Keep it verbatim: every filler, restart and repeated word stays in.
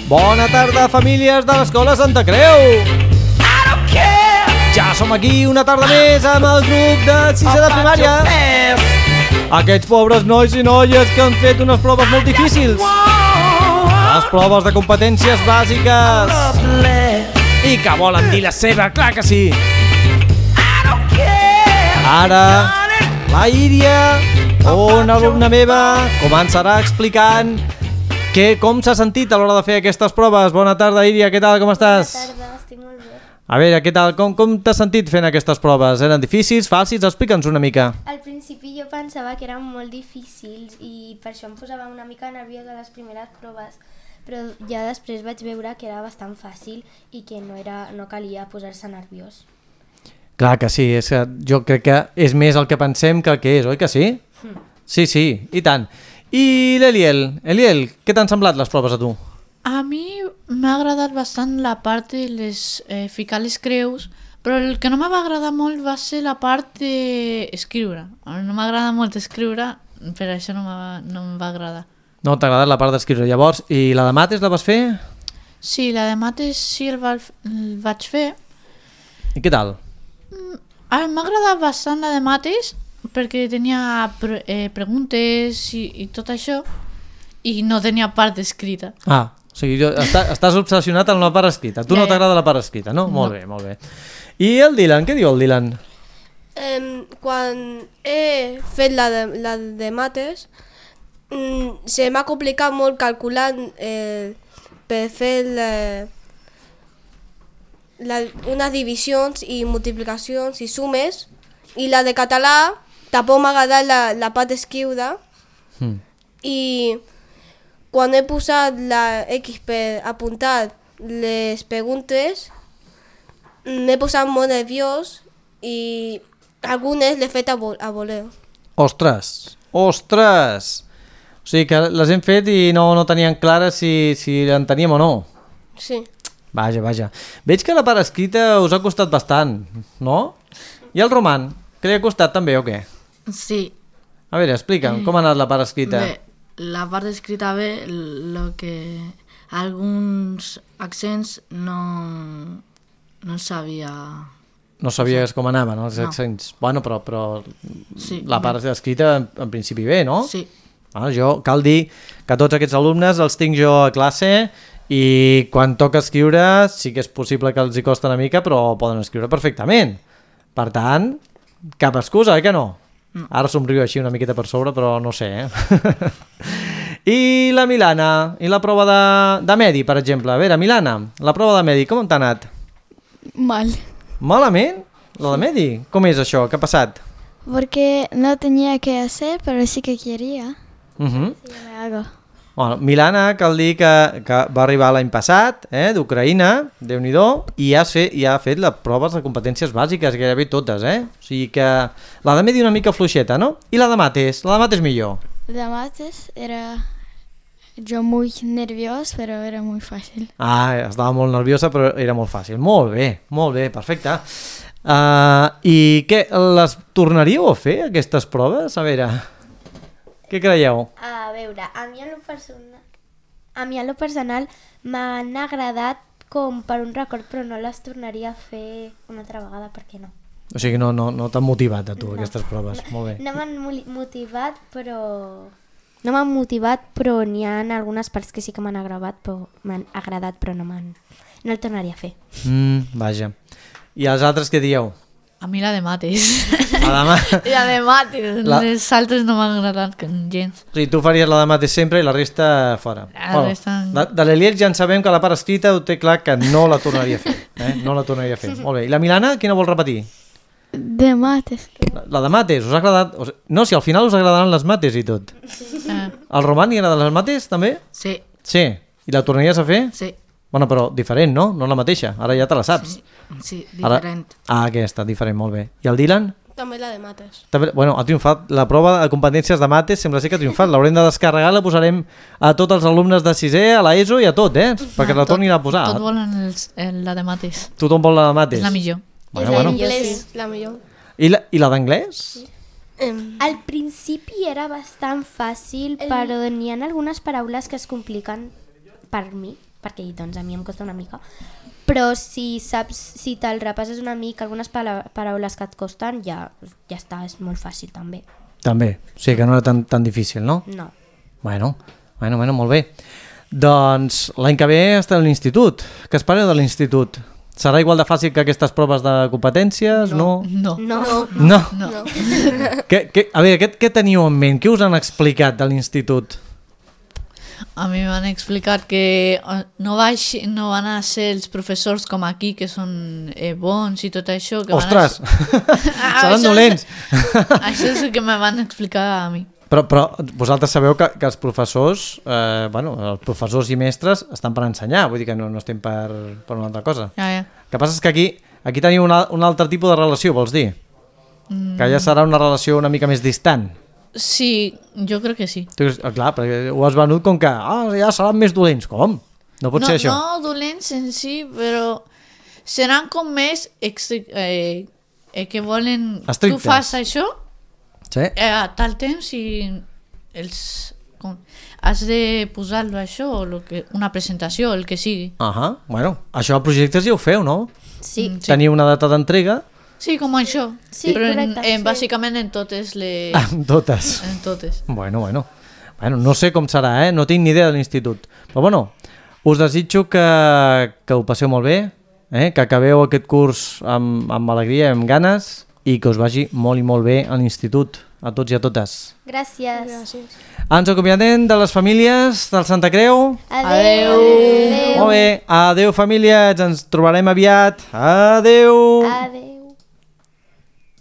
Bona tarda, famílies de l'Escola Santa Creu. Ja som aquí una tarda més amb el grup de sisè de primària. Aquests pobres nois i noies que han fet unes proves molt difícils. Les proves de competències bàsiques. I que volen dir la seva, clar que sí. Ara, la Iria, una alumna meva, començarà explicant que, com s'ha sentit a l'hora de fer aquestes proves. Bona tarda, Iria, què tal, com estàs? Bona tarda, estic molt bé. A veure, què tal, com, com t'has sentit fent aquestes proves? Eren difícils, fàcils? Explica'ns una mica. Al principi jo pensava que eren molt difícils i per això em posava una mica nerviosa les primeres proves, però ja després vaig veure que era bastant fàcil i que no, era, no calia posar-se nerviós. Clar que sí, és que jo crec que és més el que pensem que el que és, oi que sí? Mm. Sí, sí, i tant. I l'Eliel, Eliel, què t'han semblat les proves a tu? A mi m'ha agradat bastant la part de les, eh, ficar les creus, però el que no me va agradar molt va ser la part d'escriure. No m'agrada molt escriure, per això no, no em va agradar. No t'ha agradat la part d'escriure. Llavors, i la de mates la vas fer? Sí, la de mates sí el, va, el vaig fer. I què tal? Mm, m'ha agradat bastant la de mates, perquè tenia pre eh, preguntes i, i tot això, i no tenia part escrita. Ah, o sigui, jo, està, estàs obsessionat amb la part escrita. Tu ja, no t'agrada la part escrita, no? no? Molt bé, molt bé. I el Dylan, què diu el Dylan? Um, quan he fet la de, la de mates, um, se m'ha complicat molt calculant eh, per fer la, la, unes divisions i multiplicacions i sumes, i la de català tampoc m'ha agradat la, la part escriure, mm. i quan he posat la X per apuntar les preguntes m'he posat molt nerviós i algunes l'he fet a, vo a voler. Ostres, ostres! O sigui que les hem fet i no, no tenien clara si, si en teníem o no. Sí. Vaja, vaja. Veig que la part escrita us ha costat bastant, no? I el Roman, que li ha costat també o què? Sí. A veure, explica'm, com ha anat la part escrita? Bé, la part escrita bé, lo que alguns accents no, no sabia... No sabies com anaven els no. accents. Bueno, però, però sí, la part bé. escrita en, en principi bé, no? Sí. Bueno, jo, cal dir que tots aquests alumnes els tinc jo a classe i quan toca escriure sí que és possible que els hi costa una mica, però poden escriure perfectament. Per tant, cap excusa, eh que no? No. Ara somriu així una miqueta per sobre, però no sé, eh? I la Milana, i la prova de, de Medi, per exemple. A veure, Milana, la prova de Medi, com t'ha anat? Mal. Malament? La de Medi? Com és això? Què ha passat? Porque no tenía que hacer, pero sí que quería. Uh-huh. Sí, yo me hago. Bueno, Milana, cal dir que, que va arribar l'any passat, eh, d'Ucraïna, Déu-n'hi-do, i ja, sé, ja ha fet les proves de competències bàsiques, gairebé totes, eh? O sigui que la de Medi una mica fluixeta, no? I la de mates? La de mates millor. La de mates era yo muy nerviosa, pero era muy fácil. Ah, estava molt nerviosa, però era molt fàcil. Molt bé, molt bé, perfecte. Uh, I què, les tornaríeu a fer, aquestes proves? A veure... Què creieu? A veure, a mi en lo personal, a mi en lo personal m'han agradat com per un record, però no les tornaria a fer una altra vegada, perquè no. O sigui, no, no, no t'han motivat a tu, no. aquestes proves. No, molt bé. No m'han motivat, però... No m'han motivat, però n'hi ha algunes parts que sí que m'han agradat, però m'han agradat, però no m'han... No el tornaria a fer. Mm, vaja. I els altres què dieu? A mi la de mates. La de, ma... la de mates. La... Les altres no m'han agradat gens. O sigui, tu faries la de mates sempre i la resta fora. La bueno, resta... De, de l'Eliel ja en sabem que la part escrita ho té clar que no la tornaria a fer. Eh? No la tornaria a fer. Molt bé. I la Milana, quina vol repetir? De mates. La, la de mates, us ha agradat? O sigui, no, si al final us agradaran les mates i tot. Sí. Ah. Al Roman li agraden les mates, també? Sí. Sí. I la tornaries a fer? Sí. Bueno, però diferent, no? No la mateixa. Ara ja te la saps. Sí, sí diferent. Ara... Ah, aquesta, diferent, molt bé. I el Dylan? També la de mates. També, bueno, ha triomfat. La prova de competències de mates sembla ser que ha triomfat. L'haurem de descarregar, la posarem a tots els alumnes de sisè, a l'ESO i a tot, eh? Perquè ah, la tornin a posar. Tot volen els, el, la de mates. Tothom vol la de mates. És la millor. Bueno, I bueno. l'anglès, sí. La millor. I la, i la d'anglès? Sí. Al principi era bastant fàcil, però n'hi ha algunes paraules que es compliquen per mi, perquè doncs, a mi em costa una mica. Però si saps, si te'l repasses una mica, algunes pala- paraules que et costen, ja, ja està, és molt fàcil també. També, o sigui que no era tan, tan difícil, no? No. Bueno, bueno, bueno, molt bé. Doncs l'any que ve està a l'institut. Què espereu de l'institut? Serà igual de fàcil que aquestes proves de competències? No. No. No. No? No. no. Què, què, a veure, què, què teniu en ment? Què us han explicat de l'institut? A mi m'han explicat que eh, no, vaig, no van a ser els professors com aquí, que són eh, bons i tot això. Que Ostres! Van a... Ah, Seran això dolents! És, això és el que me van explicar a mi. Però, però vosaltres sabeu que, que els professors, eh, bueno, els professors i mestres estan per ensenyar, vull dir que no, no estem per, per una altra cosa. Ja, ja. El que passa és que aquí, aquí teniu una, un altre tipus de relació, vols dir? Mm. Que ja serà una relació una mica més distant. Sí, jo crec que sí. Tu, dius, ah, clar, perquè ho has venut com que ah, ja seran més dolents. Com? No pot no, ser això. No dolents en si, però seran com més extri- eh, eh, que volen... Estrictes. Tu fas això Sí? eh, a tal temps i els, com, has de posar-lo això o lo que, una presentació, el que sigui. Ahà, bueno, això a projectes ja ho feu, no? Sí. Mm, sí. Teniu una data d'entrega? Sí, com això. Sí, però correcte, en, en, sí. bàsicament en totes les... Amb totes. En totes. Bueno, bueno. Bueno, no sé com serà, eh? No tinc ni idea de l'institut. Però bueno, us desitjo que, que ho passeu molt bé, eh? Que acabeu aquest curs amb, amb alegria, amb ganes i que us vagi molt i molt bé a l'institut, a tots i a totes. Gràcies. Gràcies. Ens acomiadem de les famílies del Santa Creu. Adeu. Molt bé, adeu famílies, ens trobarem aviat. Adeu. Adeu.